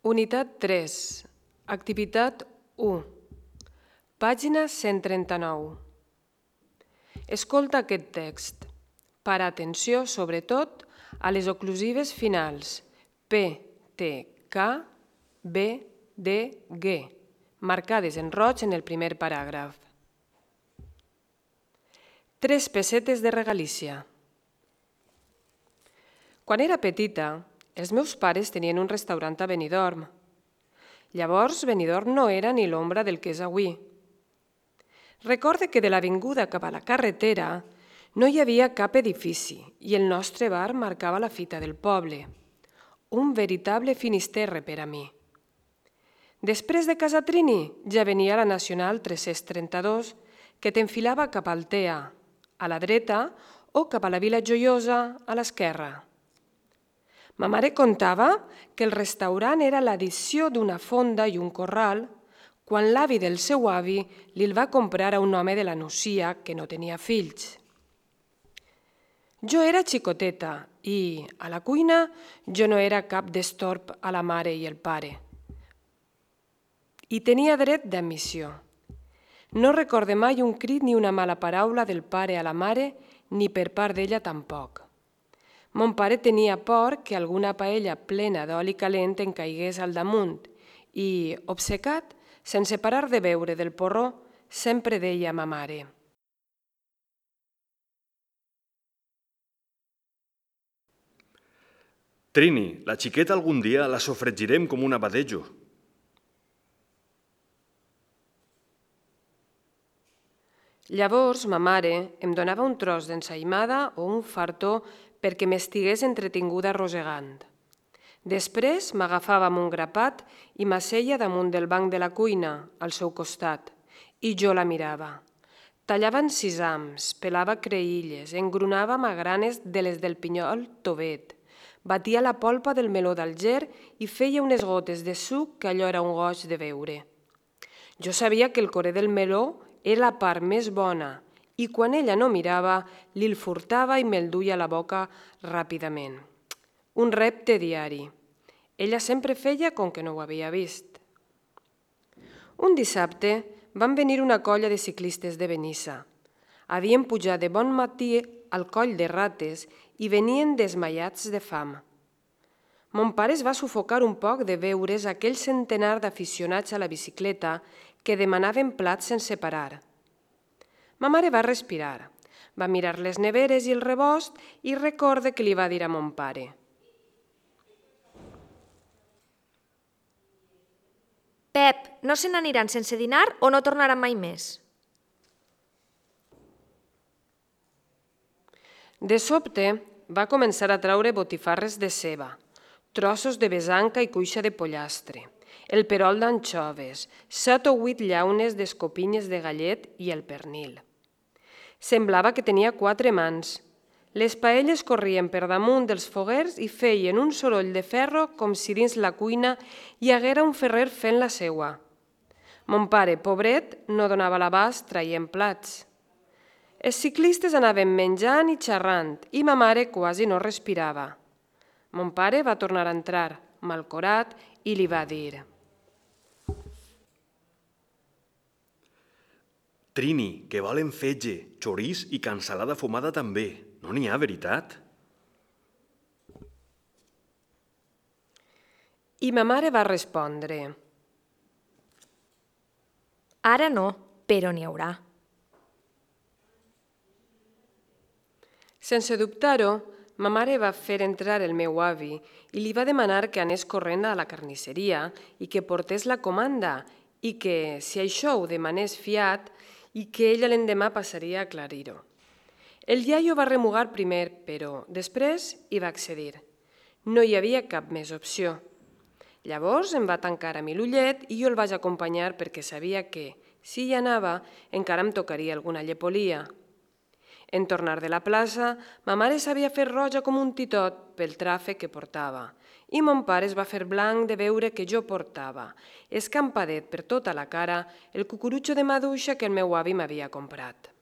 Unitat 3, activitat 1, pàgina 139. Escolta aquest text. Para atenció, sobretot, a les oclusives finals P, T, K, B, D, G, marcades en roig en el primer paràgraf. 3 pessetes de regalícia. Quan era petita, els meus pares tenien un restaurant a Benidorm. Llavors, Benidorm no era ni l'ombra del que és avui. Recorde que de l'avinguda cap a la carretera no hi havia cap edifici i el nostre bar marcava la fita del poble. Un veritable Finisterre per a mi. Després de Casa Trini ja venia la Nacional 332 que t'enfilava cap al Tea, a la dreta, o cap a la Vila Joiosa, a l'esquerra. Ma mare contava que el restaurant era l'addició d'una fonda i un corral quan l'avi del seu avi li'l va comprar a un home de la Nucia que no tenia fills. Jo era xicoteta i, a la cuina, jo no era cap destorb a la mare i el pare. I tenia dret d'admissió. No recorde mai un crit ni una mala paraula del pare a la mare, ni per part d'ella tampoc. Mon pare tenia por que alguna paella plena d'oli calent en caigués al damunt i, obcecat, sense parar de beure del porró, sempre deia a ma mare: Trini, la xiqueta algun dia la sofregirem com un abadejo. Llavors, ma mare em donava un tros d'ensaïmada o un fartó perquè m'estigués entretinguda rosegant. Després m'agafava amb un grapat i m'asseia damunt del banc de la cuina, al seu costat, i jo la mirava. Tallava en sisams, pelava creïlles, engronava magranes de les del pinyol tovet, batia la polpa del meló d'Alger i feia unes gotes de suc que allò era un goig de veure. Jo sabia que el coré del meló era la part més bona i quan ella no mirava, li'l furtava i me'l duia a la boca ràpidament. Un repte diari. Ella sempre feia com que no ho havia vist. Un dissabte van venir una colla de ciclistes de Benissa. Havien pujat de bon matí al coll de Rates i venien desmaiats de fam. Mon pare es va sufocar un poc de veure's aquell centenar d'aficionats a la bicicleta que demanaven plats sense parar. Ma mare va respirar, va mirar les neveres i el rebost i recorde que li va dir a mon pare: Pep, no se n'aniran sense dinar o no tornaran mai més? De sobte va començar a traure botifarres de ceba, trossos de besanca i cuixa de pollastre, el perol d'anxoves, 7 o 8 llaunes d'escopinyes de gallet i el pernil. Semblava que tenia 4 mans. Les paelles corrien per damunt dels foguers i feien un soroll de ferro com si dins la cuina hi haguera un ferrer fent la seua. Mon pare, pobret, no donava l'abast traient plats. Els ciclistes anaven menjant i xerrant i ma mare quasi no respirava. Mon pare va tornar a entrar, malcorat, i li va dir: Trini, que volen fetge, xorís i cansalada fumada també. No n'hi ha, veritat? I ma mare va respondre: Ara no, però n'hi haurà. Sense dubtar-ho, ma mare va fer entrar el meu avi i li va demanar que anés corrent a la carnisseria i que portés la comanda i que, si això ho demanés fiat, i que ella l'endemà passaria a aclarir-ho. El iaio va remugar primer, però després hi va accedir. No hi havia cap més opció. Llavors em va tancar a mi l'ullet i jo el vaig acompanyar perquè sabia que, si hi anava, encara em tocaria alguna llepolia. En tornar de la plaça, ma mare s'havia fet roja com un titot pel tràfic que portava i mon pare es va fer blanc de veure que jo portava, escampadet per tota la cara, el cucurutxo de maduixa que el meu avi m'havia comprat.